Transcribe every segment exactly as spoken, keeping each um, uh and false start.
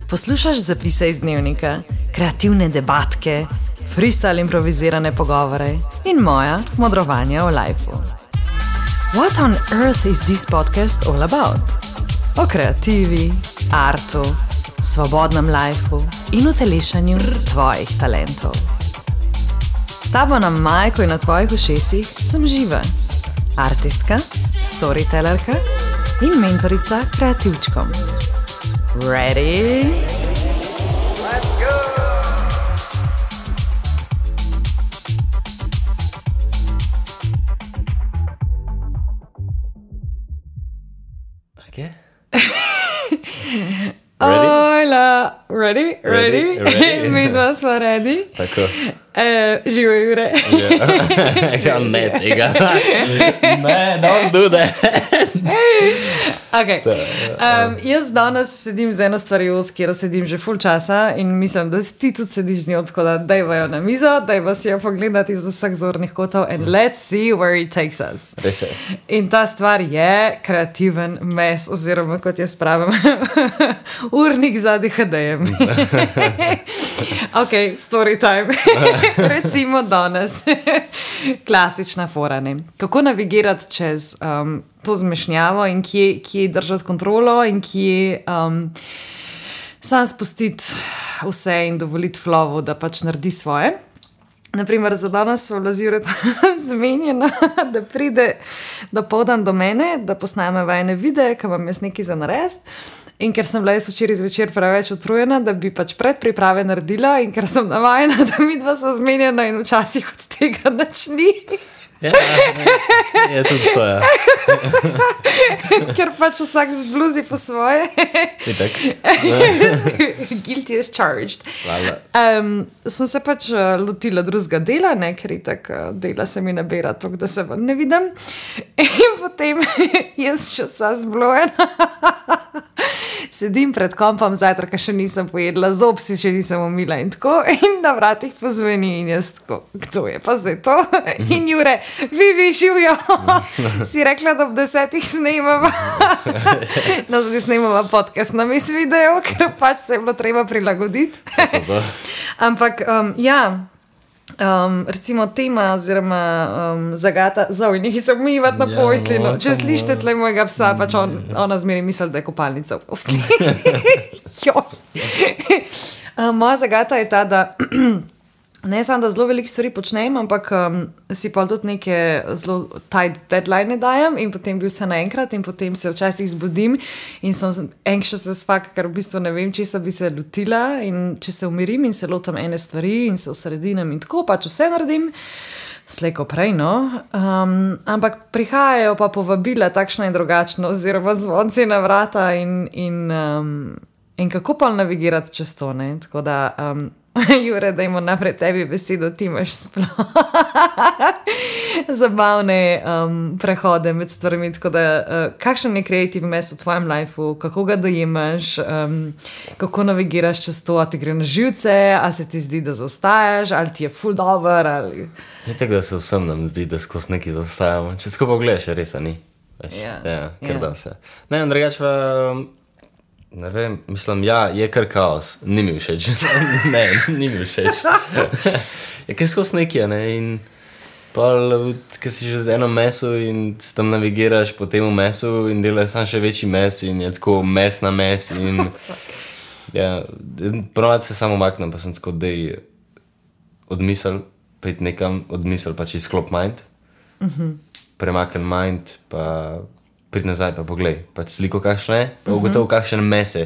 Poslušaš zapise iz dnevnika, kreativne debatke, freestyle improvizirane pogovore in moja modrovanja o lifeu. What on earth is this podcast all about? O kreativi, artu, svobodnem lifeu in utelešanju tvojih talentov. S tabo na majku in na tvojih ušesih sem Živa, artistka, storytellerka in mentorica kreativčkom. Ready? Let's go! Okay. Hola, ready? Ready? Ready? Ready? Mi dva smo ready. Tako. Uh, živo Jure. Ja, ne tega. Ne, don't do that. Okay. Um, jaz danes sedim z eno stvarjo, s katero sedim že ful časa in mislim, da ti tudi sediš z njo, tako da dajvajo na mizo, dajva si jo pogledati iz vseh zornih kotov and let's see where it takes us. Res je. In ta stvar je kreativen mes, oziroma kot jaz pravim, urnik za D H D-jem. Ok, story time. Recimo danes. Klasična fora, ne. Kako navigirati čez um, to zmešnjavo in kje, kje držati kontrolo in kje um, sam spustiti vse in dovoliti flowu, da pač naredi svoje. Naprimer, za danes smo bila Jureta zmenjena, da pride dopoldan do mene, da posname vajne videe, ki vam jaz nekaj za narediti. In ker sem bila jaz včeraj zvečer preveč utrujena, da bi pač predpriprave naredila in ker sem navajena, da mi dva smo zmenjena in včasih od tega nič ni. Ja, je tudi to, ja. Ker pač vsak zbluzi po svoje. Itak. Guilty as charged. Hvala. Um, sem se pač uh, lotila drugega dela, ne, ker itak uh, dela se mi nabira toliko, da se vam ne vidim. In potem jaz še vsa zblojena. Sedim pred kompom, zajtrka še nisem pojedla, zob si še nisem umila in tako, in na vratih pozveni in jaz tako, kdo je pa zdaj to? In Jure, vi, vi, živjo, si rekla, da ob desetih snemava. No, zdaj snemava podcast na mis video, ker pač se je bilo treba prilagoditi. Ampak, um, ja, um, recimo tema oziroma um, zagata, zoj, nekaj se umivati na Ja, postelino. no, Če tam, slišite tle mojega psa, pač on, ona zmeri misli, da je kopalnica v postelini. Joj. Um, moja zagata je ta, da ne samo, da zelo veliko stvari počnem, ampak um, si pa tudi neke zelo tight deadline dajem in potem bi vse naenkrat in potem se včasih zbudim in sem anxious as fuck, ker v bistvu ne vem, česa bi se lotila in če se umirim in se lotam ene stvari in se osredinem in tako, pač vse naredim, slejko prej, no. Um, ampak prihajajo pa povabila takšna in drugačna oziroma zvonci na vrata in, in, um, in kako pa navigirati čez to, ne. Tako da... Um, Jure, dajmo naprej tebi besedo, ti imaš sploh zabavne um, prehode med stvarmi, tako da uh, kakšen je creative mess v tvojem lifeu, kako ga dojemaš, um, kako navigiraš čez to, a ti gre na živce, a se ti zdi, da zaostajaš, ali ti je ful dober, ali... Je tako, da se vsem nam zdi, da skozi nekaj zaostajamo. Če tako pogledaš, res, a ni. Veš, Ja, ja, ker ja. da vse. Ne, in drugače pa... Ne vem, mislim, ja, je kar kaos. Ni mi všeč. Ne, ni mi všeč. Je kaj skozi nekaj, ne, in pa, ko si že z eno meso in tam navigiraš po temu mesu in delaš sam še večji mes in je tako mes na mes in ja, ponovadi se samo maknem, pa sem tako, dej odmisel, pejt nekam, odmisel, pač izklop mind, uh-huh. Premaken mind, pa prid nazaj, pa poglej, pač sliko kakšne je, pa ugotov uh-huh. kakšen mes je,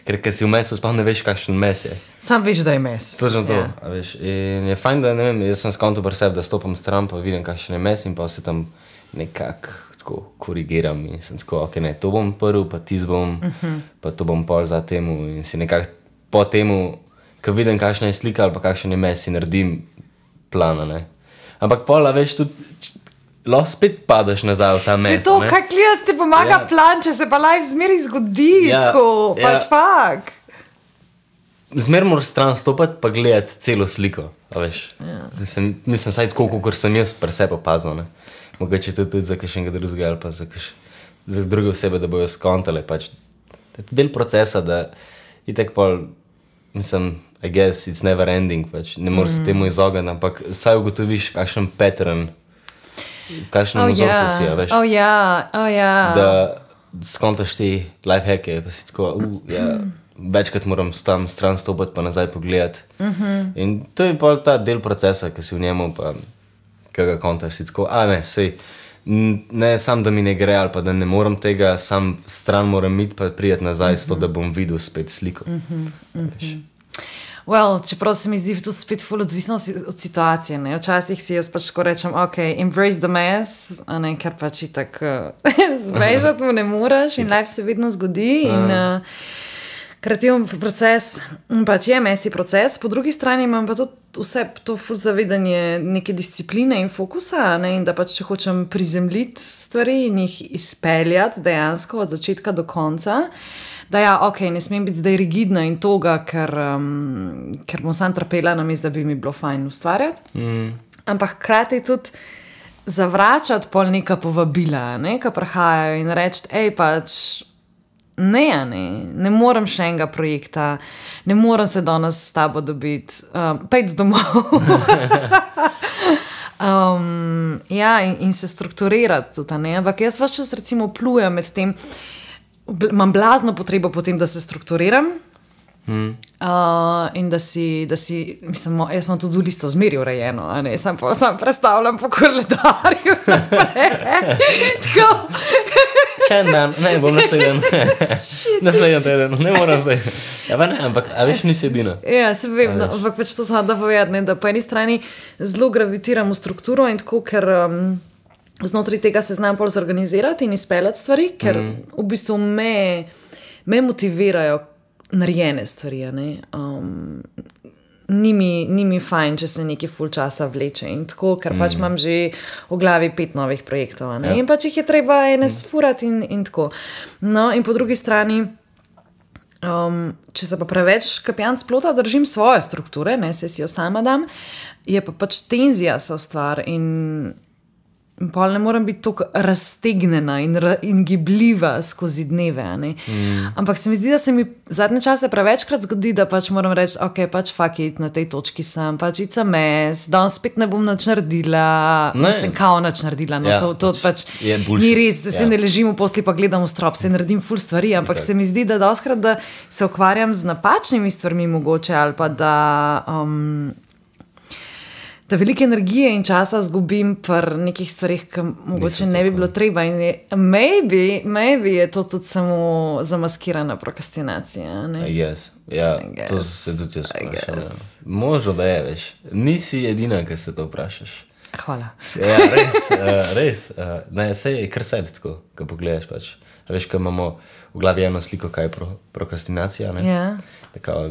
ker ker si v mesu, sploh ne veš kakšen mes je. Sam veš, da je mes. Točno to, Ja. a veš, in je fajn, da ne vem, jaz sem skonto pri sebi, da stopam stran, pa vidim kakšen je mes in pa se tam nekako tako korigiram in sem tako, ok, ne, to bom prv, pa tis bom, uh-huh. pa to bom pol za temu in si nekako po temu, ko vidim kakšna je slika ali pa kakšen je mes, si naredim plana, ne. Ampak pol, a veš, tudi lahko spet padaš nazaj v ta mes, Se to, ne. kaj klijas ti pomaga Ja. plan, če se pa life zmeri zgodi, Ja, tako, ja. pač fak. Zmer moraš stran stopati pa gledati celo sliko, a veš. Ja. Mislim, mislim, saj tako, kot sem jaz pri sebi opazil, ne. Mogoče to tudi za kakšnega drugega ali pa za, kaš, za druge osebe, da bojo skontale, pač. To je del procesa, da itak pol, mislim, I guess it's never ending, pač. Ne moreš mm. se temu izogniti, ampak saj ugotoviš, kakšen pattern, kakšen Oh, vzorcu ja. si, a veš. Oh, ja, oh, ja. Da skontaš ti lifehacke, pa si tako, uh, ja, večkrat moram tam stran stopiti, pa nazaj pogledati. Mhm. In to je pol ta del procesa, ki si v njemu, pa ki ga kontaš, si tako, a ne, sej, n- ne sam, da mi ne gre, ali pa da ne morem tega, sam stran moram iti, pa prijeti nazaj, s to, da bom videl spet sliko. Veš. Well, čeprav se mi zdi to spet ful odvisno si- od situacije, ne. Včasih si jaz pač tako rečem, ok, embrace the mess, a ne, ker pač itak uh, zbežati mu ne moreš in life se vedno zgodi in uh, kreativen proces pač je messy proces, po drugi strani imam pa tudi vse to ful zavedanje neke discipline in fokusa, ne, in da pač če hočem prizemljiti stvari in jih izpeljati dejansko od začetka do konca, da ja, ok, ne smem biti zdaj rigidna in toga, ker, um, ker bom sam trpela namesto, da bi mi bilo fajn ustvarjati. Mm. Ampak hkrati tudi zavračati pol neka povabila, ne, ki prihajajo in reči, ej, pač ne, a ne, ne morem še enega projekta, ne morem se danes s tabo dobiti, um, pejdi domov. um, ja, in, in se strukturirati tudi, a ne, ampak jaz vaš čas recimo plujem med tem, bl- imam blazno potrebo potem, da se strukturiram. Mm. Uh, in da si, da si, mislim, mo- jaz imam tudi listo zmeri urejeno, a ne, sam, pa, sam predstavljam po koledarju naprej. Tako, Še en dan, ne, bom naslednji dan. Naslednji teden, ne moram zdaj. Ja, pa ne, ampak, a veš, nisi edina. ja, se vem, no, ampak pač to sem da povedati, ne, da po eni strani zelo gravitiram v strukturo in tako, ker um, znotraj tega se znam pol zorganizirati in izpeljati stvari, ker mm. v bistvu me, me motivirajo narejene stvari, a ne. Um, ni mi, ni mi fajn, če se nekaj ful časa vleče in tako, ker pač imam že v glavi pet novih projektov, a ne, Ja. in pač jih je treba ene sfurati in, in tako. No, in po drugi strani, um, če se pa preveč kapijan splota držim svoje strukture, ne, se si jo sama dam, je pa pač tenzija so stvar in in pol ne morem biti tako raztegnjena in, ra, in gibljiva skozi dneve, a ne. Mm. Ampak se mi zdi, da se mi zadnje čase prevečkrat zgodi, da pač moram reči, ok, pač fuck it, na tej točki sem, pač it's a mess, danes spet ne bom nič naredila, Ne. nisem kao nič naredila, no Ja, to, to pač pač je bullshit. ni res, da se Ja. ne ležim v posli pa gledam v strop, se naredim ful stvari, ampak Itak. se mi zdi, da doskrat, da se ukvarjam z napačnimi stvarmi mogoče ali pa da um, da velike energije in časa zgubim pri nekih stvarih, ki mogoče ne bi bilo treba. In je, maybe, maybe je to tudi samo zamaskirana prokrastinacija. Ne? Yes. Ja, I guess. to se tudi jaz I vprašam. Ja. guess. Možno, da je, veš. Nisi edina, ki se to vprašaš. Hvala. Ja, res, uh, res. Uh, ne, sej je kar sedi tako, ko pogledaš pač. A veš, ko imamo v glavi eno sliko, kaj je pro, prokrastinacija, ne? Ja. Tako,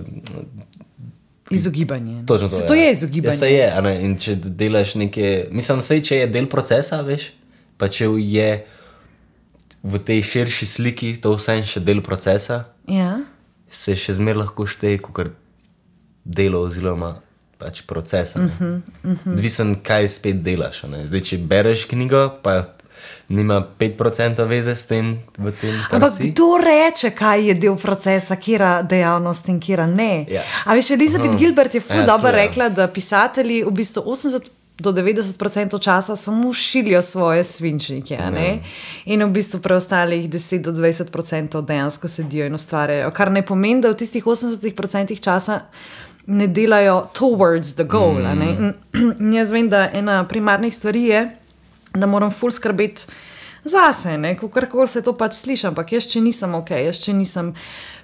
Izogibanje. točno to, Se to ja. je izogibanje. Ja, se je, a ne, in če delaš neke, mislim, sej, če je del procesa, veš, pa če je v tej širši sliki to vse še del procesa, Ja. se še zmer lahko šteje kot delo oziroma pač procesa. Uh -huh, uh -huh. Odvisen, kaj spet delaš. a Ne? Zdaj, če bereš knjigo, pa nima pet procentov veze s tem, v tem, kar Ampak si. kdo reče, kaj je del procesa, kera dejavnost in kera ne? Ja. A veš, Elizabeth Gilbert je ful Ja, dobro true, ja. rekla, da pisatelji v bistvu osemdeset do devetdeset procentov časa samo šilijo svoje svinčnike, a ne? In v bistvu preostalih deset do dvajset procentov dejansko sedijo in ustvarjajo, kar ne pomeni, da v tistih osemdesetih procentih časa ne delajo towards the goal, mm. a ne? In, in jaz vem, da ena primarnih stvari je, da moram ful skrbeti zase, ne, kakorkoli se to pač sliši, ampak jaz, če nisem ok, jaz, če nisem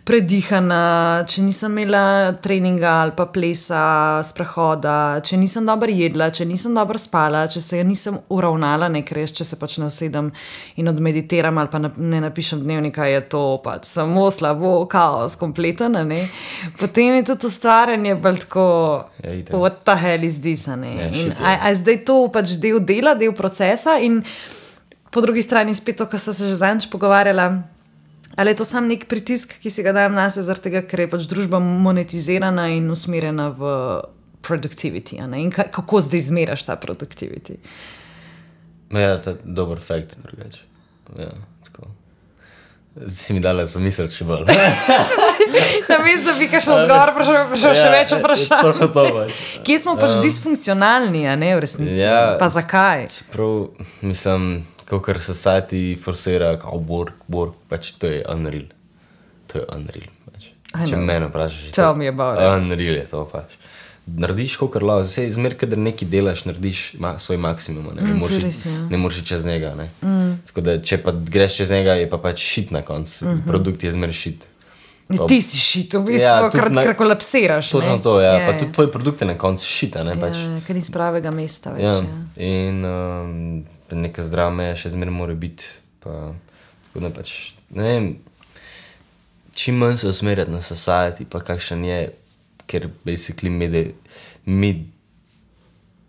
predihana, če nisem imela treninga ali pa plesa, sprehoda, če nisem dobro jedla, če nisem dobro spala, če se nisem uravnala, ne, ker jaz, če se pač ne usedem in odmeditiram ali pa ne napišem dnevnika, je to pač samo slabo, kaos, kompleten, a ne. Potem je tudi ustvarjanje bolj tako, Ja, itak. what the hell is this, a ne. Ja, In shit, a, a je zdaj to pač del dela, del procesa in po drugi strani spet to, kar sem se že zadnjič pogovarjala, ali je to sam nek pritisk, ki si ga dajem nase, zaradi tega, ker je pač družba monetizirana in usmerjena v productivity, a ne? In ka- kako zdaj izmeraš ta productivity? Ja, to je dober fakt, drugače. Ja, tako. Si mi dala zamisel, če bolj. Namesto, da bi kakšen odgovor prišel, prišel še več vprašanj. To še to pač. Kje smo pač disfunkcionalni, a ne v resnici? Ja. Pa zakaj? Čeprav, mislim, kakor society forsira, kao work, work, pač to je unreal. To je unreal, pač. I Če know. mene vprašaš, je Tell to me about it. unreal je to pač. Narediš, kakor lahko, zdaj zmer, kadar nekaj delaš, narediš ma, svoj maksimum, ne, ne Mm, moreš to iti- res je, ja. ne moreš iti čez njega, ne. Mm. Tako da, če pa greš čez njega, je pa pač shit na koncu, mm -hmm. produkt je zmer shit. Pa- Ti si šit, v bistvu, Ja, ja, tudi kar, na- kar kolapsiraš. Točno ne? to, ja, Je, pa je. tudi tvoj produkt je na koncu shit, a ne, pač. Ja, ker ni z pravega mesta več. Ja, Ja. in um, neka zdrava meja še zmeraj mora biti. Pa, tako da pač, ne vem, čim manj se usmerjati na society, pa kakšen je, ker basically mi, de, mi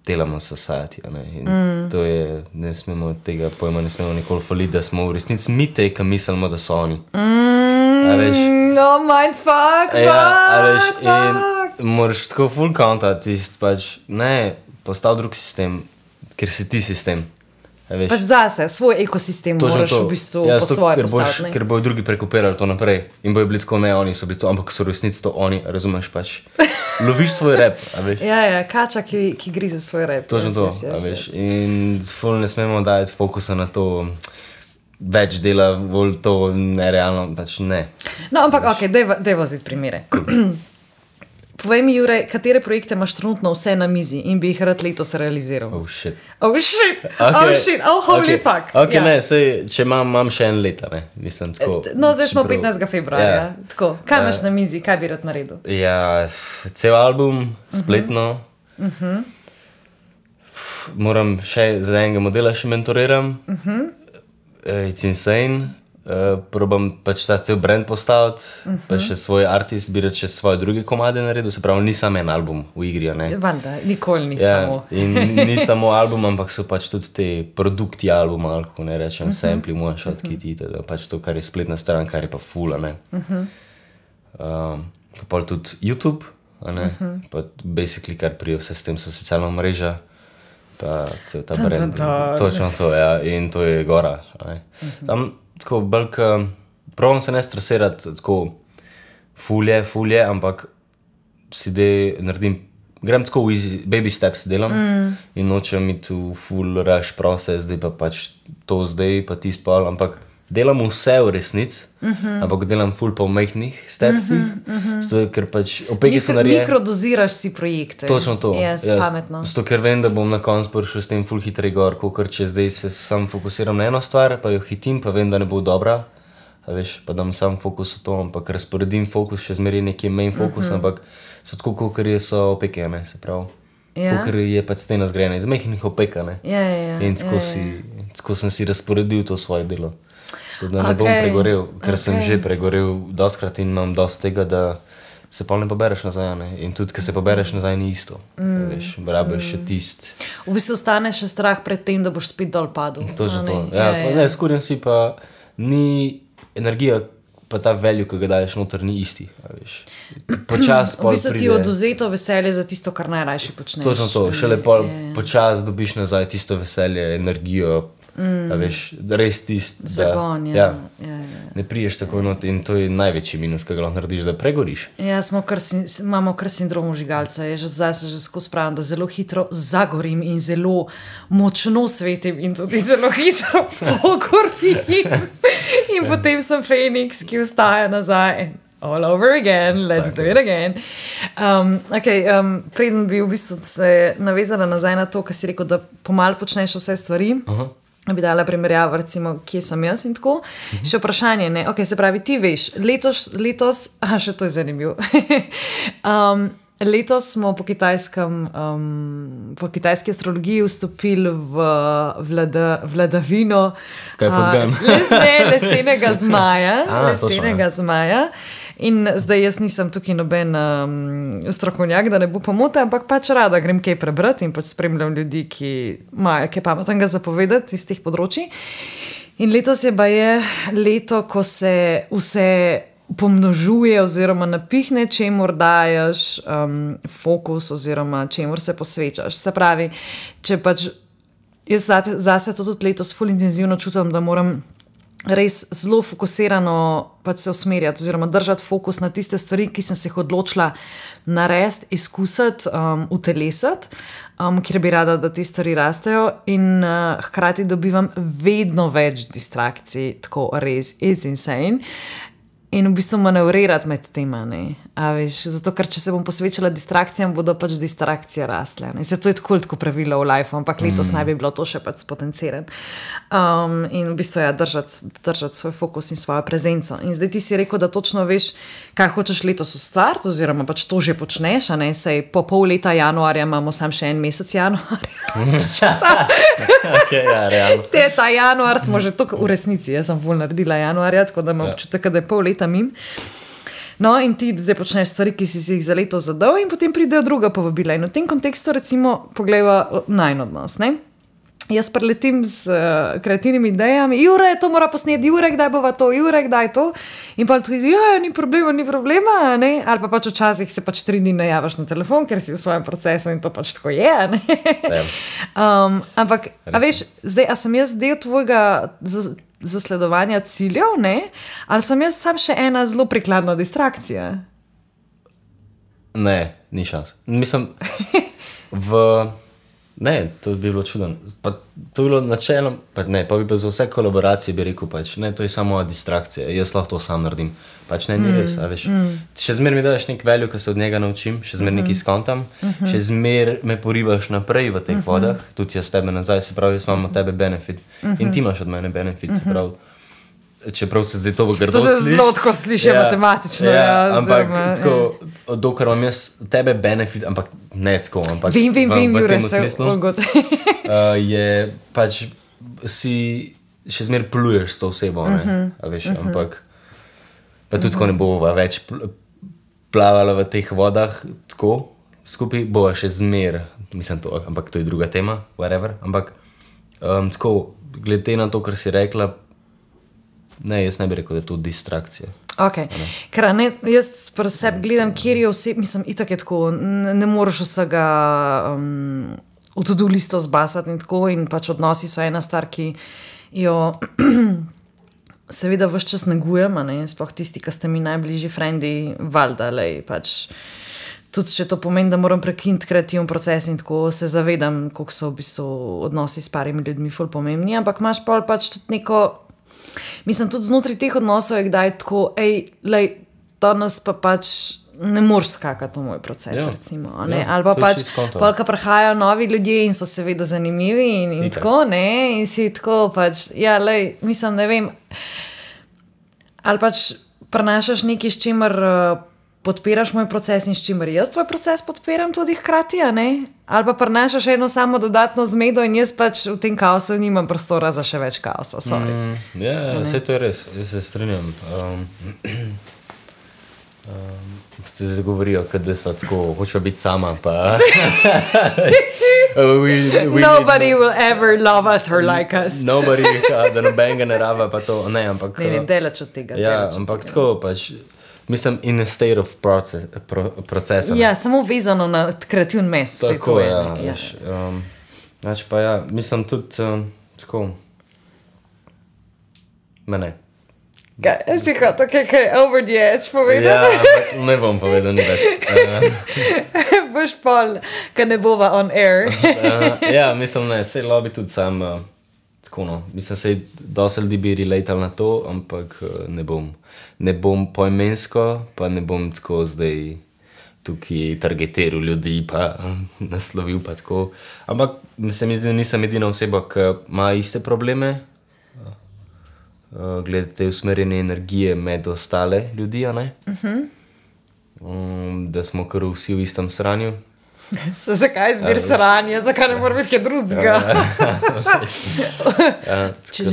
delamo society, a ne, in mm. to je, ne smemo tega pojma, ne smemo nikoli faliti, da smo v resnici mi te, ki mislimo, da so oni. Mm, A veš? no, mindfuck, Ja, a veš, mindfuck. in moraš tako full counta tist, pač, ne, postav drug sistem, ker si ti sistem, a veš. Pač zase, svoj ekosistem Točno moraš to. v bistvu Ja, po zato, svoje ker, boš, postaviti. ker bojo drugi prekopirali to naprej in bojo bili tako, ne, oni so bili to, ampak so v resnici to oni, razumeš pač. Loviš svoj rap, a veš. Ja, ja, kača, ki, ki grize svoj rep. Točno Yes, to, yes, a yes, veš. yes. In ful ne smemo dajati fokusa na to, več dela, bolj to nerealno, pač ne. No, ampak, ok, daj voziti primere. Povej mi, Jure, katere projekte imaš trenutno vse na mizi in bi jih rad letos realiziral? Oh shit. Oh shit, oh shit, oh holy okay. fuck. Ok, Ja. ne, sej, če imam, imam še en leta, ne, mislim tako. No, zdaj smo čeprav- petnajstega februarja. Ja. Tako, kaj imaš na mizi, kaj bi rad naredil? Ja, cel album, spletno. Uh -huh. Moram še za enega modela še mentoriram. Uh -huh. uh, it's insane. Uh, probam pač ta cel brand postaviti, uh -huh. pa še svoj artist, bi rad še svoje druge komade naredil, se pravi, ni samo en album v igri, a ne. Valjda, nikoli ni Ja, samo. in ni samo album, ampak so pač tudi te produkti albuma, ali kako ne rečem, uh -huh. sampli, one-shot kiti, teda pač to, kar je spletna stran, kar je pa ful, a ne. Uh -huh. um, pa pol tudi YouTube, a ne, uh -huh. pa basically, kar prije vse s tem so socialna mreža, pa cel ta Dun, dun, brand. dun. Točno to, ja, in to je gora, a ne. Uh -huh. Tam, tako, bolj, ka, probam se ne stresirati, tako, ful je, ful je, ampak si dej naredim, grem tako v easy, baby steps delam mm. in nočem iti v full rush proces, zdaj pa pač to zdaj, pa ti spal, ampak delam vse v resnici, mm -hmm. ampak delam full po majhnih stepsih, mm -hmm. zato ker pač opeke so Mikro, narejene. mikrodoziraš si projekte. Točno to. Yes, Ja, pametno. Zato, ker vem, da bom na koncu prišel s tem full hitrej gor, kot če zdaj se sam fokusiram na eno stvar, pa jo hitim, pa vem, da ne bo dobra. A veš, pa dam sam fokus v to, ampak razporedim fokus, še zmeraj neki main fokus, uh -huh. ampak so tako, kot je so opeke, ne, se pravi. Ja. Ker je pač stena zgrajena iz majhnih opek, ne. Ja, ja, ja. In tako, ja, si, tako sem si razporedil to svoje delo. Zato, da ne bom Okej, pregorel, ker sem okej. že pregorel doskrat in imam dosti tega, da se pa ne pobereš nazaj. Ne? In tudi, ko se pobereš nazaj, ni isto. Mm. Veš, rabiš mm. še tist. V bistvu ostane še strah pred tem, da boš spet dol padel. Točno a to. ne? Ja, ja, pa, ne, skurjen si pa ni energija, pa ta value, ki ga daješ noter, ni isti. a veš. Počas V pol bistvu ti pride. je oduzeto veselje za tisto, kar najrajši počneš. Točno to, šele pol Je. počas dobiš nazaj tisto veselje, energijo, mm. a veš, res tist, da, Zagon, ja. ja, Ja, ja. ne priješ tako not in to je največji minus, ki ga lahko narediš, da pregoriš. Ja, smo kar, sin- imamo kar sindrom žigalca. Je že zdaj se že skozi pravim, da zelo hitro zagorim in zelo močno svetim in tudi zelo hitro pogorim. In potem sem Feniks, ki vstaja nazaj. All over again, let's do it again. Um, okay, um, preden bi v bistvu se navezala nazaj na to, kar si rekel, da pomal počneš vse stvari. Aha. Bi dala primerjavo, recimo, kje sem jaz in tako. Uh-huh. Še vprašanje, ne? Okay, se pravi, ti veš, letos, letos aha, še to je zanimivo. um, letos smo po kitajskem, um, po kitajski astrologiji vstopili v vlada, vladavino Kaj podgan? uh, les, ne, lesenega zmaja. A, točno, lesenega zmaja. In zdaj jaz nisem tukaj noben um, strokovnjak, da ne bo pomote, ampak pač rada grem kaj prebrati in pač spremljam ljudi, ki imajo kaj pametnega zapovedati iz teh področji. In letos je baje leto, ko se vse pomnožuje oziroma napihne, čemur daješ um, fokus oziroma čemur se posvečaš. Se pravi, če pač jaz zate, zase to tudi letos ful intenzivno čutim, da moram res zelo fokusirano pač se usmerjati oziroma držati fokus na tiste stvari, ki sem se jih odločila narediti, izkusiti, um, utelesiti, um, kjer bi rada, da te stvari rastejo in uh, hkrati dobivam vedno več distrakcij, tako res, it's insane. In v bistvu manevrirati med tema, ne, a veš, zato, ker če se bom posvečala distrakcijam, bodo pač distrakcije rasle, ne, se to je tako tako pravilo v life, ampak letos mm. naj bi bilo to še pač spotenciran. Um, in v bistvu ja, držati, držati svoj fokus in svojo prezenco. In zdaj ti si rekel, da točno veš, kaj hočeš letos ustvariti, oziroma pač to že počneš, a ne, sej po pol leta januarja imamo sam še en mesec januarja. Okay, ja, realno. Te, ta januar smo že toliko v resnici, jaz sem ful naredila januarja, tako da imam občutek, da je pol leta mim. No, in ti zdaj počneš stvari, ki si si jih za leto zadal in potem pridejo druga povabila. In v tem kontekstu recimo poglejva najin odnos, ne? Jaz preletim z uh, kreativnimi idejami, Jure, to mora posneti, Jure, kdaj bova to, Jure, kdaj to? In pa tudi, ja, ni problema, ni problema, ne? Ali pa pač včasih se pač tri dni ne javaš na telefon, ker si v svojem procesu in to pač tako je, ne? um, ampak, a veš, zdaj, a sem jaz del tvojega z, zasledovanja ciljev, ne? Ali sem jaz sam še ena zelo prikladna distrakcija? Ne, ni šans. Mislim, v... Ne, to bi bilo čuden. Pa to bi bilo načelno, pa ne, pa bi pa za vse kolaboracije bi rekel, pač, ne, to je samo distrakcija, jaz lahko to sam naredim. Pač ne, ni res, a veš. Mm. Še zmer mi daš nek value, ki se od njega naučim, še zmer mm -hmm. nekaj skontam, mm -hmm. še zmer me porivaš naprej v teh mm -hmm. vodah, tudi jaz tebe nazaj, se pravi, jaz imam od tebe benefit mm -hmm. in ti imaš od mene benefit, se pravi. Čeprav se zdaj to v grdo sliši. To se zelo tako sliši ja, matematično. Ja, ja, ampak tako, ja. dokar imam jaz tebe benefit, ampak ne tako, ampak vim, vim, v, vim, v Jure, tem smislu uh, je pač si še zmer pluješ s to osebo, ne, uh -huh, a veš, uh -huh. ampak pa tudi uh -huh. tako ne bova več plavala v teh vodah tako skupaj, bova še zmer, mislim to, ampak to je druga tema, whatever, ampak um, tako, glede na to, kar si rekla, ne, jaz ne bi rekel, da je to distrakcija. Ok, ker ne, jaz pri sebi gledam, kjer je oseb, mislim, itak je tako, ne, ne moreš vsega um, v to-do listo zbasati in tako, in pač odnosi so ena stvar, ki jo seveda ves čas negujem, a ne, sploh tisti, ki ste mi najbližji frendi, valjda, lej, pač tudi če to pomeni, da moram prekiniti kreativen proces in tako se zavedam, koliko so v bistvu odnosi s parimi ljudmi ful pomembni, ampak imaš pol pač tudi neko. Mislim, tudi znotraj teh odnosov je kdaj tako, ej, lej, danes pa pač ne moreš skakati v moj proces, ja, recimo, ne, ja, ali pa pač, polka prihajajo novi ljudje in so seveda zanimivi in, in tako, ne, in si tako pač, ja, lej, mislim, ne vem, ali pač prenašaš nekaj, s čimer uh, podpiraš moj proces in s čimer jaz tvoj proces podpiram tudi hkrati, a ne? Ali pa prenašaš eno samo dodatno zmedo in jaz pač v tem kaosu nimam prostora za še več kaosa, sorry. Mm, ja, vse to je res, jaz se strinjam. Um, um, se zdaj govorijo, da so tako, hočejo biti sama, pa... we, we Nobody no, will ever love us or like us. Nobody, da nobenega ne rava, pa to, ne, ampak... Ne, ne, delač od tega. Ja, ampak tako pač... Mislim, in a state of process, pro, procesa. Ja, samo vezano na kreativni mes. Tako, ja. ja. Um, znači pa ja, mislim tudi um, tako, mene. Kaj, si hotel kaj, kaj over the edge povedati? Ja, ampak ne bom povedal ni več. Uh, Boš pol, ka ne bova on air. uh, ja, mislim, ne, sej lobby tudi sam, uh, tako no, mislim, sej dosti ljudi bi relatal na to, ampak uh, ne bom. Ne bom poimensko, pa ne bom tako zdaj tukaj targetiral ljudi, pa naslovil pa tako. Ampak se mi zdi, da nisem edina oseba, ki ima iste probleme, glede te usmerjene energije med ostale ljudi, a ne? Uh-huh. Um, da smo kar vsi v istem sranju. Zakaj zbir sranje? Zakaj ne mora biti kaj drugega? ja,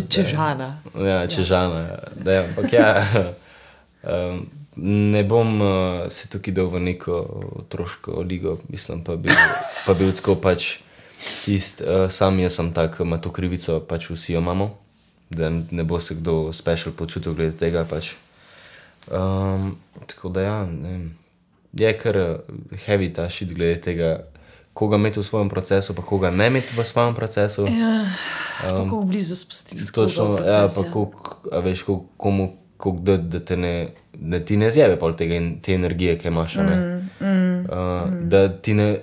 Čežana. Ja, čežana. Ja, ampak ja... Um, ne bom uh, se tukaj dal v neko otroško ligo, mislim, pa bi, pa bi tako pač tist, uh, sam jaz sem tak, ima to krivico, pač vsi jo imamo, da ne bo se kdo special počutil glede tega, pač. Um, tako da ja, ne vem, je kar heavy ta shit glede tega, koga imeti v svojem procesu, pa koga ne imeti v svojem procesu. Ja, pa kako blizu spustiti skozi Točno, proces. ja, pa koliko, a veš, koliko, komu, koliko da, da te ne, da ti ne zjebe pol tega in te energije, ki imaš, a ne. Mm, mm, Uh, da ti ne,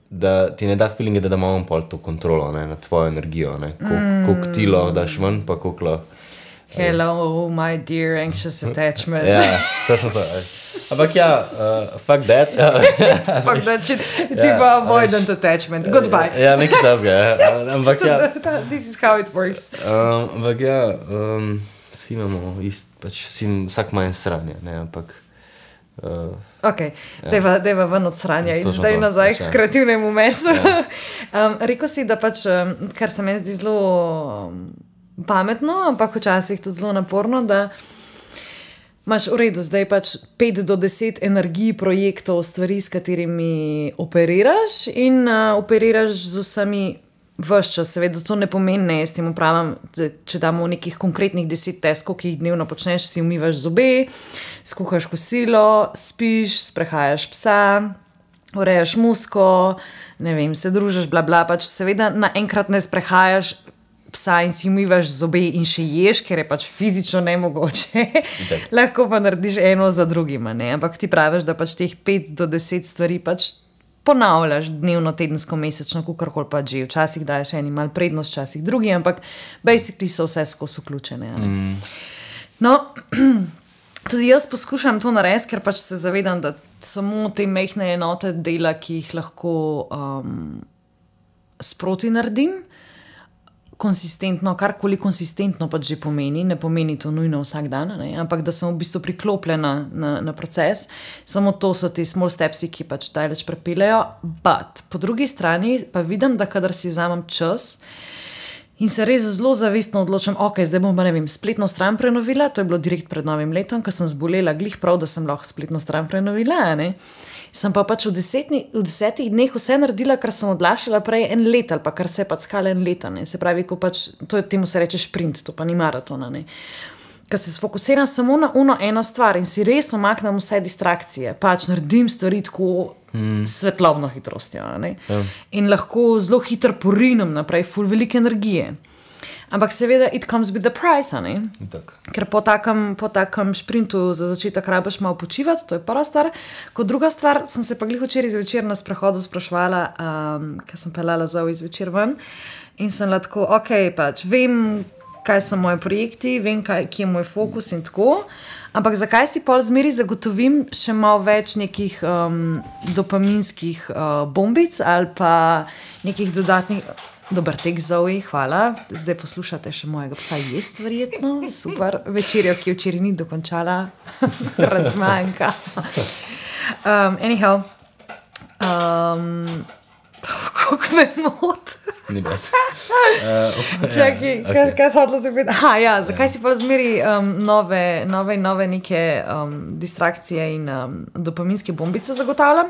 da ti ne da feelinge, da, da ima on pol to kontrolo, ne, nad tvojo energijo, ne. Koliko, Mm. koliko ti lahko daš ven, pa koliko lahko. Hello, my dear anxious attachment. Ja, točno to. ej. Ampak ja, uh, fuck that. Fuck that shit. Ja, Tipo avoidant attachment. Goodbye. Ja, nekaj tasga, ja. Ampak ja, This is how it works. um, ampak ja, um, vsi imamo ist, pač vsi, vsak ima en sranje, ne, ampak uh, Ok, deva, deva ven od sranja in Točno zdaj to, nazaj pač, ja. k kreativnemu mesu. um, rekel si, da pač, um, kar se meni zdi zelo um, pametno, ampak včasih tudi zelo naporno, da imaš v redu zdaj pač pet do deset energij, projektov, stvari, s katerimi operiraš in uh, operiraš z vsemi ves čas. Seveda to ne pomeni, ne, jaz tem upravljam, če damo nekih konkretnih deset teskov, ki jih dnevno počneš, si umivaš zobe, skuhaš kosilo, spiš, sprehajaš psa, urejaš musko, ne vem, se družiš, bla bla, pač seveda naenkrat ne sprehajaš psa in si umivaš zobe in še ješ, ker je pač fizično nemogoče. Lahko pa narediš eno za drugima, ne, ampak ti praviš, da pač teh pet do deset stvari pač ponavljaš dnevno, tedensko, mesečno, kakorkoli pa že. Včasih daješ eni malo prednost, včasih drugi, ampak basically so vse skozi vključene. Mm. No, tudi jaz poskušam to narediti, ker pač se zavedam, da samo te mehne enote dela, ki jih lahko um, sproti naredim, konsistentno, karkoli konsistentno pač že pomeni, ne pomeni to nujno vsak dan, ne? Ampak da sem v bistvu priklopljena na, na proces, samo to so ti small stepsi, ki pač daleč prepeljajo, but po drugi strani pa vidim, da kadar si vzamem čas in se res zelo zavestno odločam, ok, zdaj bom pa ne vem, spletno stran prenovila, to je bilo direkt pred novim letom, ko sem zbolela glih prav, da sem lahko spletno stran prenovila, ne? Sem pa pač v, desetni, v desetih dneh vse naredila, kar sem odlašala prej en let ali pa kar se je pač skala en leta, ne. Se pravi, ko pač, to je, temu se reče šprint, to pa ni maratona, ne. Ko se sfokusiram samo na uno eno stvar in si res omaknem vse distrakcije, pač naredim stvari tako mm. svetlobno hitrostjo, ne. Ja. In lahko zelo hitro porinem naprej, ful velike energije. Ampak seveda it comes with the price, a ne? tak. Ker po takem, po takem šprintu za začetek rabiš malo počivati, to je prva stvar. Kot druga stvar, sem se pa glih včeraj zvečer na sprehodu spraševala, um, ker sem peljala Zoe zvečer ven in sem lahko, ok, pač vem, kaj so moji projekti, vem, kaj, kje je moj fokus in tako, ampak zakaj si pol zmeri zagotovim še malo več nekih um, dopaminskih uh, bombic ali pa nekih dodatnih... Dober tek, Zoe, hvala. Zdaj poslušate še mojega psa jest, verjetno. Super. Večerjo, ki včeraj ni dokončala. Razmanjka. Um, anyhow. Um, kako me mot? Ni bad. Uh, Čakaj, ja, kaj, okay. kaj se hodilo se biti? Aha, ja, zakaj si pa zmeri um, nove, nove, nove neke um, distrakcije in um, dopaminske bombice zagotavljam?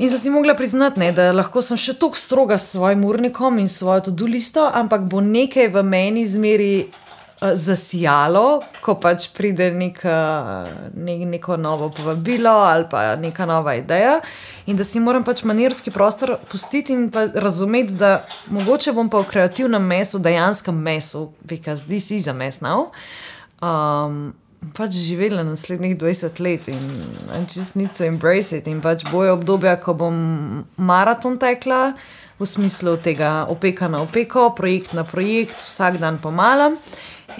In sem si mogla priznati, ne, da lahko sem še toliko stroga s svojim urnikom in svojo to-do listo, ampak bo nekaj v meni zmeri uh, zasijalo, ko pač pride nek, uh, ne, neko novo povabilo ali pa neka nova ideja in da si moram pač manirski prostor pustiti in pa razumeti, da mogoče bom pa v kreativnem mesu, dejanskem mesu, because this is a mess now, um, pač živela naslednjih dvajset let in I just need to embrace it in pač bojo obdobja, ko bom maraton tekla v smislu tega opeka na opeko, projekt na projekt, vsak dan pomalam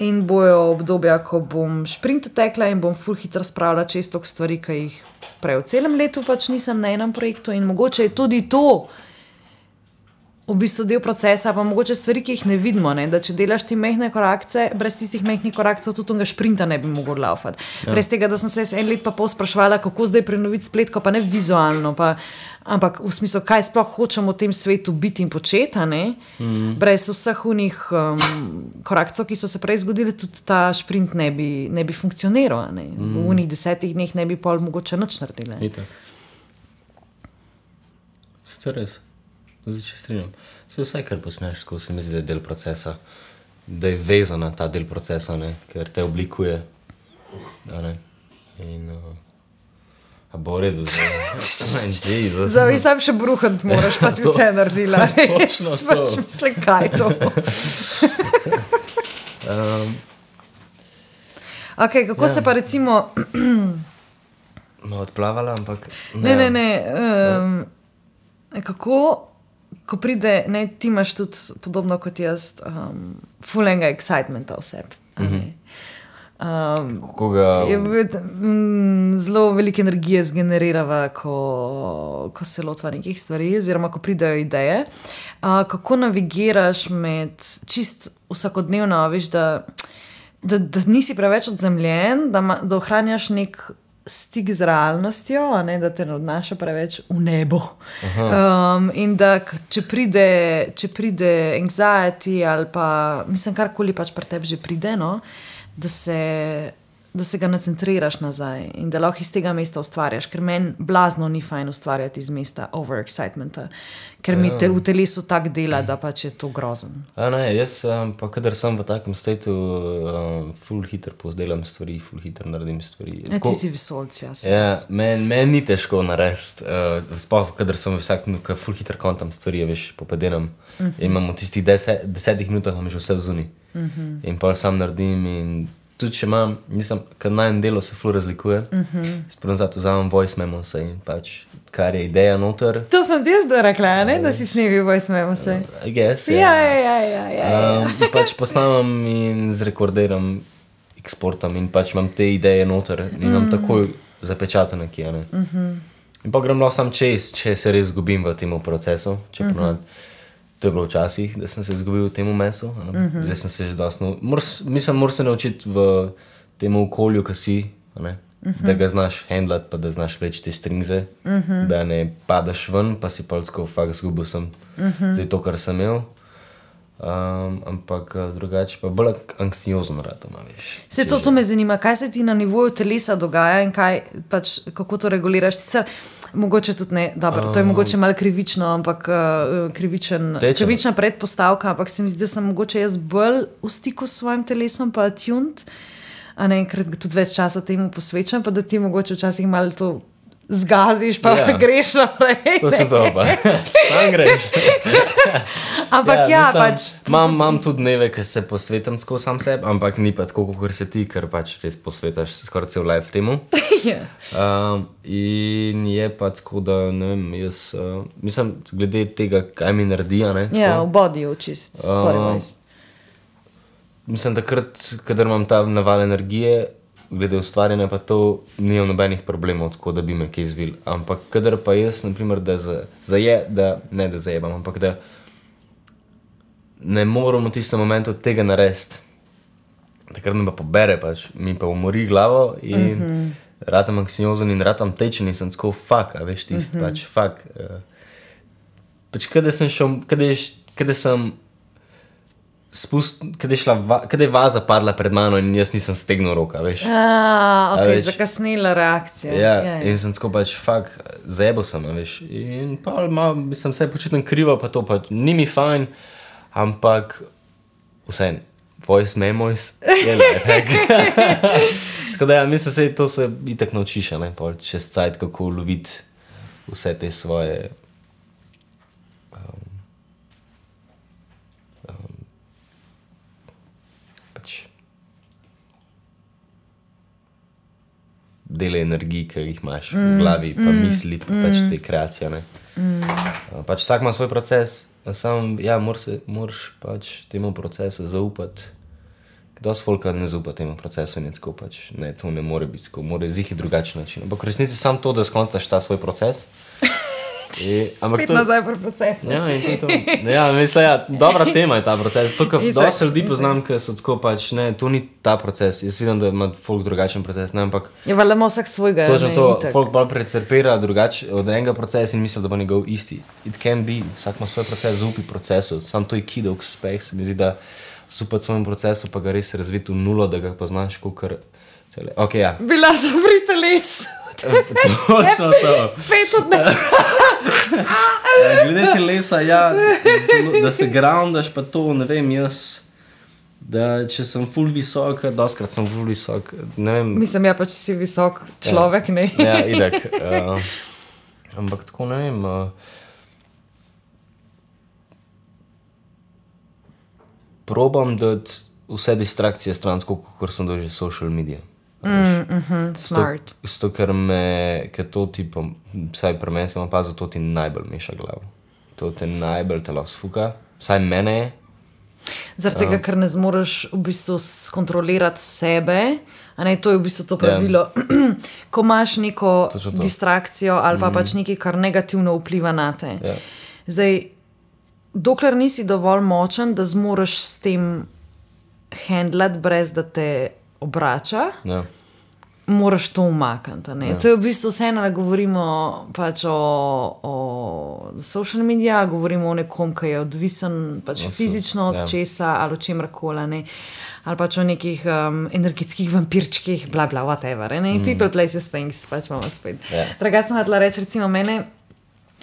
in bojo obdobja, ko bom šprint tekla in bom ful hitro spravila čez toliko stvari, ki jih prej v celem letu pač nisem na enem projektu in mogoče je tudi to v bistvu del procesa, pa mogoče stvari, ki jih ne vidimo, ne? Da če delaš ti mehne korakce, brez tistih mehnih korakcev tudi tega šprinta ne bi mogel laufati. Ja. Brez tega, da sem se en let pa pol spraševala, kako zdaj prenoviti spletko, pa ne vizualno, pa, ampak v smislu, kaj sploh hočem v tem svetu biti in početi, ne? Mm. Brez vseh unih um, korakcev, ki so se prej zgodili, tudi ta šprint ne bi, ne bi funkcioniral, ne? Mm. V unih desetih dneh ne bi pol mogoče nič naredili. Itak. Se to res? Zdaj, če strinjam. Se vse, kar počneš, ko se mi zdi, da je del procesa, da je vezan na ta del procesa, ne? Ker te oblikuje. Ne? In, uh, A bo v redu, zdaj. Zdaj sam še bruhant moraš, pa si vse naredila. Točno to. Pač mislim, kaj je to. um, Ok, kako Ja. se pa recimo... Ma odplavala, ampak... Ne, ne, ne. Um, kako, ko pride, ne, ti imaš tudi podobno kot jaz, um, fulenga excitementa v sebi. a ne. Um, Kako ga... je, mm, zelo veliko energije zgenerirava, ko, ko se lotva nekih stvari, oziroma ko pridejo ideje. Uh, kako navigiraš med čist vsakodnevno, a veš, da, da, da nisi preveč odzemljen, da, ma, da ohranjaš nek stik z realnostjo, a ne, da te ne odnaša preveč v nebo. Um, in da k- če pride, če pride anxiety ali pa, mislim, karkoli pač pri tebi že pride, no, da se, da se ga nacentriraš nazaj in da lahko iz tega mesta ustvarjaš, ker meni blazno ni fajn ustvarjati iz mesta overexcitementa, ker mi te, v telesu tak dela, da pač je to grozen. A ne, jaz um, pa kadar sem v takem stateu, um, ful hiter pozdelam stvari, ful hiter naredim stvari. Ja, ti si vesolc, ja. Ja, meni men ni težko narediti, uh, sploh kadar sem vsak minut, ful hiter kontam stvari, veš, popedenam. Uh -huh. In imam v tistih deset, desetih minutah imam že vse vzuni. Uh -huh. In pa sam naredim in tudi če imam, nisem, kad najem delo se ful razlikuje, uh -huh. sprem zato vzamem voice memos in pač, kar je ideja noter, To sem ti jaz rekla, ne, da si snimil voice memo se. I guess, Ja, ja, ja, ja, ja. Um, in pač posnamem in zrekordiram, eksportam in pač imam te ideje noter in imam takoj zapečatene kje, ne. In pa grem lahko sam čez, če se res zgubim v tem procesu, če ponavadi, to je bilo včasih, da sem se izgubil v tem mesu, a ne. Zdaj sem se že dosti, nau- moraš, mislim, moraš se naučiti v tem okolju, ki si, a ne, da ga znaš handlati, pa da znaš vleči te stringze, da ne padaš ven, pa si pa tako, fakt zgubil sem zdaj to, kar sem imel. Um, ampak eh, drugače pa bolj anksiozen rad, ima, veš. Se to, to me zanima, kaj se ti na nivoju telesa dogaja in kaj, pač, kako to reguliraš. Sicer mogoče tudi ne, dobro, to je mogoče malo krivično, ampak uh, krivičen, Tečeno. krivična predpostavka, ampak se mi zdi, da sem mogoče jaz bolj v stiku s svojim telesom, pa attuned, a ne, ker tudi več časa temu posvečam, pa da ti mogoče včasih malo to zgaziš, pa Ja. greš naprej. To sem to pa. Sam greš. Ampak ja, ja mislim, pač. Imam, imam tudi dneve, ki se posvetim tako sam sebi, ampak ni pa tako, kot se ti, ker pač res posvetaš se skoraj cel life temu. Ja. Um, in je pa tako, da ne vem, jaz, uh, mislim, glede tega, kaj mi naredi, a ne. tako. Ja, v bodyju čist, Um, body-wise. Mislim, takrat, kadar imam ta naval energije, glede ustvarjanja, pa to nimam nobenih problemov, tako da bi me kaj zvil. Ampak kadar pa jaz, naprimer, da, za, zaje, da ne da zajebam, ampak da ne moram v tistem momentu tega narediti, takrat me pa pobere, pač, mi pa umori glavo in uh -huh. ratam anksiozen in ratam tečen in sem tako, fuck, a veš tisti, uh -huh. pač, fuck. Uh, pač, kada sem šel, kada je, kada sem spust, kada je šla, va, kada je vaza padla pred mano in jaz nisem stegnil roka, veš. A, ok, veš- zakasnila reakcija. Ja, ja. in sem tako pač, fuck, zajebal sem, a veš. In pa malo, mislim, se počutim krivo, pa to pa ni mi fajn, ampak vseeno, voice memos je lifehack. Tako da ja, mislim, se to se itak naučiš, a ne, pol čez cajt, kako loviti vse te svoje um, um, pač dele energij, ki jih imaš mm, v glavi, pa mm, misli, pa mm, pač te kreacije, ne. Mm. Pač vsak ima svoj proces, sam, ja, moraš, moraš pač temu procesu zaupati. Dosti folka ne zaupa temu procesu in je tako pač, ne, to ne more biti tako, mora zihi drugačen način. Ampak v resnici sam to, da skontaš ta svoj proces. Je, ampak Spet to, nazaj pri procesu. ja, in to je to. Ja, mislim, ja, dobra tema je ta proces. To, kar Itak, dosti ljudi itak. poznam, ki so tako pač, ne, to ni ta proces. Jaz vidim, da ima folk drugačen proces, ne, ampak Je valjda ima vsak svojega. točno ne, to, itak. folk bolj precerpira drugače od enega procesa in misli, da bo njegov isti. It can be, vsak ima svoj proces, zaupi procesu. Sam to je key, dolg uspeh, se mi zdi, da zaupati svojemu procesu, pa ga res razviti v nulo, da ga poznaš, kakor cele. Ok, ja. Bila sem pri telesu. Točno to. Spet od ne. Ja, glede telesa, ja, zelo, da se groundaš, pa to, ne vem, jaz da če sem ful visok, doskrat sem ful visok, ne vem. Mislim, ja, pač si visok človek, ja. ne? Ja, itak. Uh, ampak tako ne vem. Uh, probam dati vse distrakcije stran, kot sem dožil social media. Mm, mm-hmm, smart. Zato, ker me, ker to ti, pa, vsaj pri meni sem opazil, to ti najbolj meša glavo. To te najbolj telo sfuka, vsaj mene je. Zaradi tega, ker ne zmoreš v bistvu skontrolirati sebe, a ne, to je v bistvu to pravilo. Yeah. Ko imaš neko distrakcijo ali pa mm. pač nekaj, kar negativno vpliva na te. Yeah. Zdaj, dokler nisi dovolj močen, da zmoreš s tem handlat, brez da te obrača, Yeah. moraš to umakniti. Yeah. To je v bistvu vseeno, da govorimo pač o, o social media, govorimo o nekom, ki je odvisen pač no, fizično od yeah. česa ali o čemrkoli, ne. Ali pač o nekih um, energetskih vampirčkih, bla bla, whatever, ne. Mm. People, places, things, pač imamo spet. Yeah. Drugače sem hotela reči, recimo mene,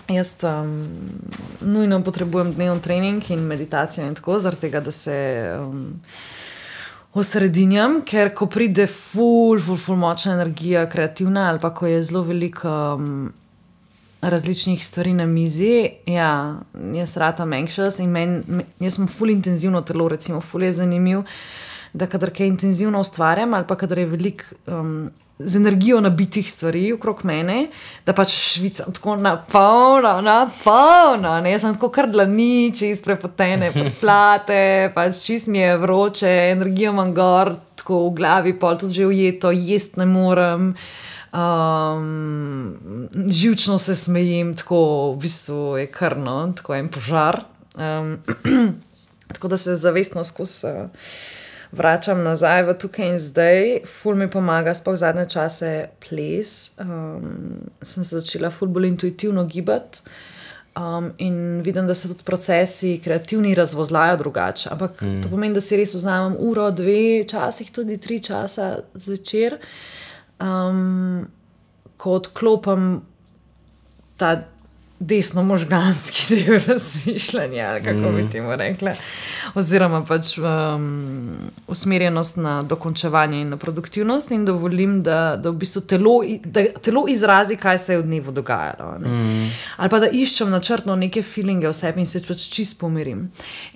jaz um, nujno potrebujem dnevni trening in meditacijo in tako, zaradi tega, da se um, osredinjam, ker ko pride ful, ful, ful močna energija, kreativna, ali pa ko je zelo veliko um, različnih stvari na mizi, ja, jaz ratam anxious in men, jaz sem ful intenzivno telo, recimo, ful je zanimiv, da kadar kaj intenzivno ustvarjam, ali pa kadar je veliko um, z energijo nabitih stvari okrog mene, da pač švicam tako napolno, napolno, ne, jaz sem tako kar dlani, čist prepotene, podplate, pač čist mi je vroče, energijo imam gor, tako v glavi, pol tudi že ujeto, jest ne morem, um, živčno se smejim, tako v bistvu je krno, tako en požar, um, tako da se zavestno skozi uh, vračam nazaj v tukaj in zdaj, ful mi pomaga, sploh zadnje čase ples, um, sem se začela ful bolj intuitivno gibati um, in vidim, da se tudi procesi kreativni razvozlajo drugače, ampak mm. to pomeni, da si res vzamem uro, dve, časih tudi tri časa zvečer, um, ko odklopam ta desno možganski del razmišljanja, ali kako bi temu rekla, oziroma pač um, usmerjenost na dokončevanje in na produktivnost in dovolim, da, da v bistvu telo, da telo izrazi, kaj se je v dnevu dogajalo. Ne? Mm. Ali pa da iščem načrtno neke feelinge v sebi in se pač čist pomirim.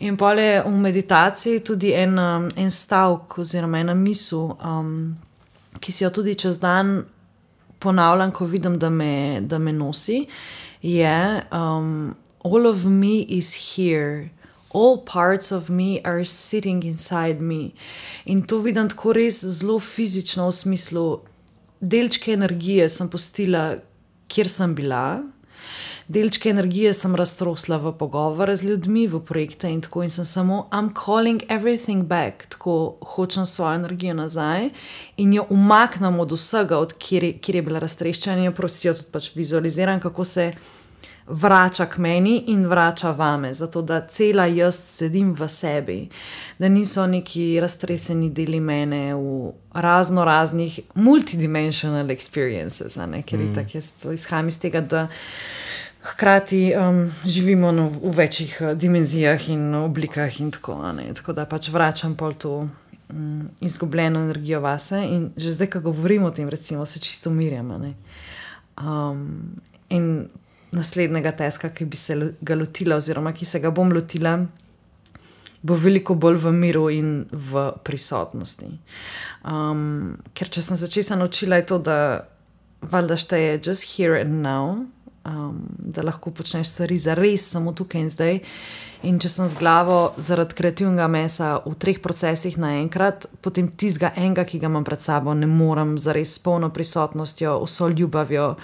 In pol je v meditaciji tudi en, en stavk oziroma ena misel, um, ki si jo tudi čez dan ponavljam, ko vidim, da me, da me nosi, je um, all of me is here, all parts of me are sitting inside me. In to vidim tako res zelo fizično v smislu, delčke energije sem pustila, kjer sem bila, delčke energije sem raztrosla v pogovore z ljudmi, v projekte in tako in sem samo I'm calling everything back, tako hočem svojo energijo nazaj in jo umaknem od vsega, od kjer, kjer je bila raztreščena in jo prosijo tudi pač vizualiziram, kako se vrača k meni in vrača vame, zato da cela jaz sedim v sebi, da niso neki raztreseni deli mene v razno raznih multidimensional experiences, ne, ker mm. itak jaz to izhajam iz tega, da hkrati um, živimo no, v večjih uh, dimenzijah in oblikah in tako, ne, tako da pač vračam pol to um, izgubljeno energijo vase in že zdaj, ko govorim o tem, recimo, se čisto umirjam, ne. Um, in naslednjega teska, ki bi se ga lotila oziroma ki se ga bom lotila, bo veliko bolj v miru in v prisotnosti. Um, ker če sem se česa naučila, je to, da valjda šteje just here and now, um, da lahko počneš stvari za res samo tukaj in zdaj. In če sem z glavo zaradi kreativnega mesa v treh procesih naenkrat, potem tistega enega, ki ga imam pred sabo, ne morem za res s polno prisotnostjo, vso ljubavjo,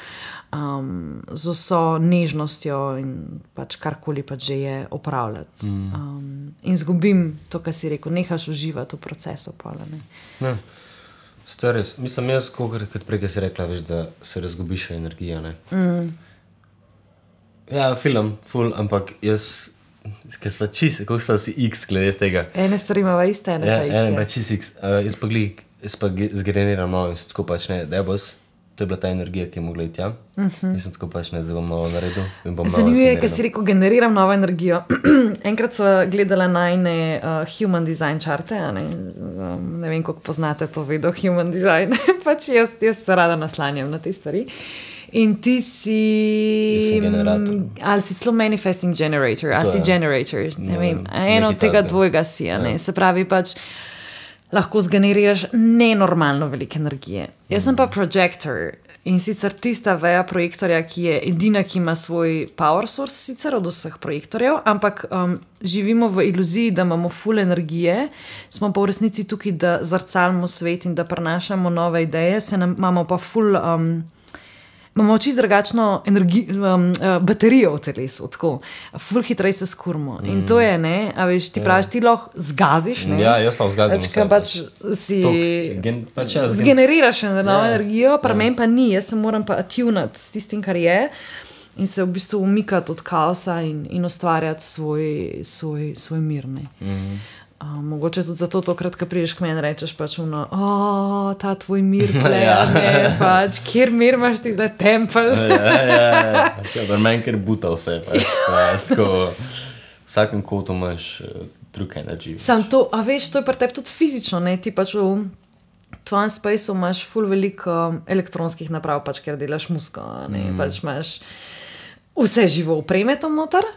um, z vso nežnostjo in pač karkoli pač že je opravljati. Mm. Um, in zgubim to, kar si rekel, nehaš uživati v procesu. Pola, ne. Ne, to je res. Mislim, jaz, kot prej si rekla, veš, da se razgubiš energija, ne. Mm. Ja, film, ful, ampak jaz... Ker sva čist, kako sva si X glede tega. Ene stvari imava iste, ene ja, pa X. Ene pa čist X. Uh, jaz pa glik, jaz pa zgeneriram malo in se tako pač ne, da boš to je bila ta energija, ki je mogla iti tja. Uh-huh. Nisem tako pač ne, zdaj bom novo naredil. Zanimivo je, ker si rekel, generiram novo energijo. Enkrat sva gledala najne uh, human design čarte, a ne? Um, ne vem, koliko poznate to vedo, human design. pač jaz, jaz se rada naslanjam na te stvari. In ti si... Ali si celo manifesting generator, ali si generator, ne, ne vem. Eno od tega dvojega si, a ne? Ja. Se pravi pač, lahko zgeneriraš nenormalno veliko energije. Jaz sem pa projector in sicer tista veja projektorja, ki je edina, ki ima svoj power source sicer od vseh projektorjev, ampak um, živimo v iluziji, da imamo full energije, smo pa v resnici tukaj, da zrcalimo svet in da prenašamo nove ideje, se nam, imamo pa full... Um, Imamo čisto drugačno energijo, um, uh, baterijo v telesu, tako, ful hitreje se skurmo. Mm. In to je, ne, a veš, ti praviš, ti lahko zgaziš, ne? Ja, jaz lahko zgazim vse. Pač si gen, pač ja, zgeneriraš eno novo ja. energijo, pa ja. meni pa ni, jaz se moram pa attunati s tistim, kar je in se v bistvu umikati od kaosa in, in ustvarjati svoj, svoj, svoj mir, ne. Mm. Uh, mogoče tudi zato tokrat, ko prideš k meni, rečeš pač uno, o, ta tvoj mir tle, ja. ne, pač, kjer mir imaš ti, da je tempel. ja, ja, ja, ja, ja meni ker buta vse, pač, pač, ko vsakem kotu imaš uh, drug energy. Sam to, a veš, to je pri tebi tudi fizično, ne, ti pač v tvojem spaceu imaš ful veliko elektronskih naprav, pač, ker delaš musko, ne, mm. pač imaš vse živo opreme tam noter.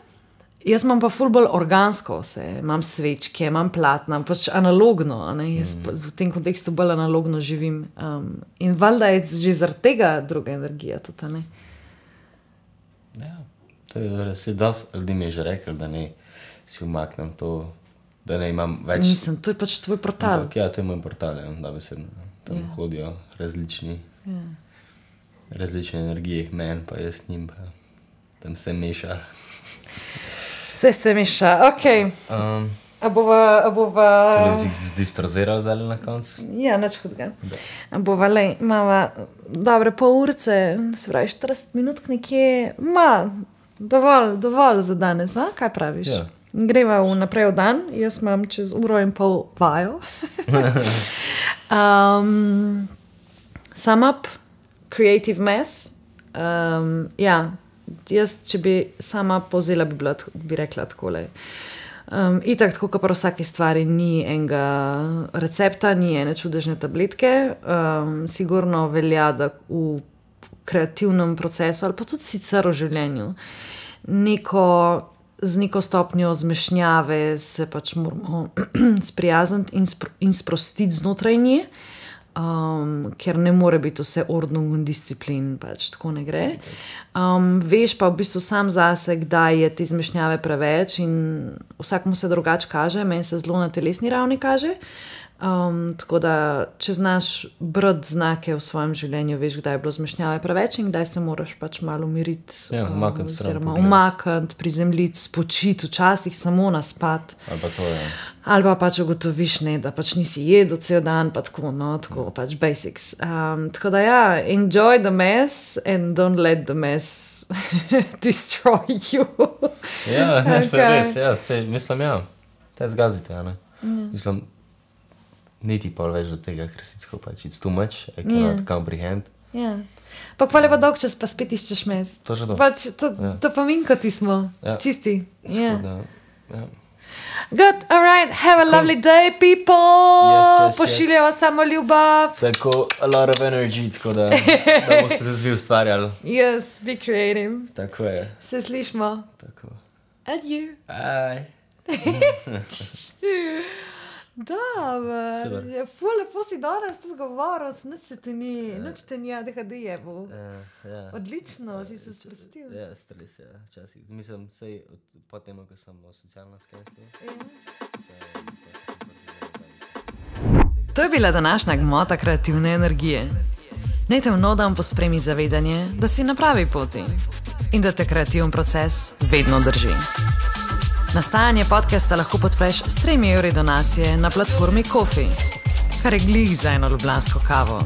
Jaz imam pa ful bolj organsko vse, imam svečke, imam platna, pač analogno, ne? Jaz mm. v tem kontekstu bolj analogno živim. Um, in valjda je že zaradi tega druga energija tudi, ne? Ja, to je res, dosti ljudi mi je že rekel, da ne si umaknem to, da ne imam več... Nisem, to je pač tvoj portal. Ampak, ja, to je moj portal, ja, da besedno. Tam ja. hodijo različni, ja. različne energije, men, pa jaz njim, pa tam se meša. Vse se meša, okej. Okay. Um, a bova... A bova... To je zdistroziral zdaj na koncu? Ja, nič hudega. A bova, lej, imava dobre pol urce, se pravi štirideset minut nekje, ma, dovolj, dovolj za danes, a? Kaj praviš? Ja. Greva v naprej v dan, jaz imam čez uro in pol vajo. um, sum up, creative mess, um, ja, jaz, če bi sama povzela, bi, bila, bi rekla takole. Um, itak, tako kot pri vsaki stvari, ni enega recepta, ni ene čudežne tabletke. Um, sigurno velja, da v kreativnem procesu ali pa tudi sicer v življenju neko, z neko stopnjo zmešnjave se pač moramo sprijazniti in, spro, in sprostiti znotraj nje. Um, ker ne more biti vse ordnung in disciplin, pač tako ne gre. Um, veš pa v bistvu sam zase, kdaj je te zmešnjave preveč in vsakmu se drugače kaže, meni se zelo na telesni ravni kaže. Um, tako da, če znaš brati znake v svojem življenju, veš, kdaj je bilo zmešnjave preveč in kdaj se moraš pač malo umiriti, ja, umakniti, um, umakniti, prizemljiti, spočiti, včasih samo naspati. Ali pa to je. Ali pa pač ugotoviš, ne, da pač nisi jedel cel dan, pa tako, no, tako, pač basics. Um, tako da ja, enjoy the mess and don't let the mess destroy you. ja, ne, okay. Se res, ja, se, mislim, ja, te zgazite, ja, ne. Ja. Mislim, niti pol več do tega, ker si tako pač, it's too much, I cannot yeah. comprehend. Ja. Pa hvala pa dolg čas, pa spet iščeš mes. To že to. Pač, to, ja. to pa minko ti smo, ja. čisti. Ja. Ja. Good, alright, have a cool. lovely day, people! Yes, yes, Pošiljava yes. samo ljubav. Tako, a lot of energy, tako da, da boste tudi ustvarjali. Yes, be creative. Tako je. Se slišmo. Tako. Adieu. Bye. Dobar, je ful, lepo si danes tudi govoril, nič se ti ni, ja. nič te ni A D H D jevo. Ja, ja. Odlično, ja, si se sprostil. Ja, stres, ja, včasih. Mislim, sej, po tem, ko sem socialna skresla. Ja. To je bila današnja gmota kreativne energije. Naj te vnodam pospremi zavedanje, da si na pravi poti in da te kreativen proces vedno drži. Nastajanje podcasta lahko podpreš s tremi evri donacije na platformi Ko-fi, kar je glih za eno ljubljansko kavo.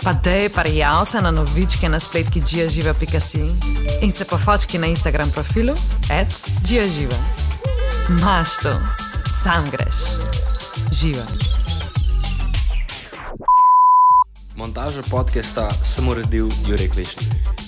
Pa dej parjav se na novičke na spletki giaživa pika si in se pofočki na Instagram profilu at giaživa. Maš to, sam greš. Živa. Montaža. Montažo podcasta sem uredil Jurek Lešnik.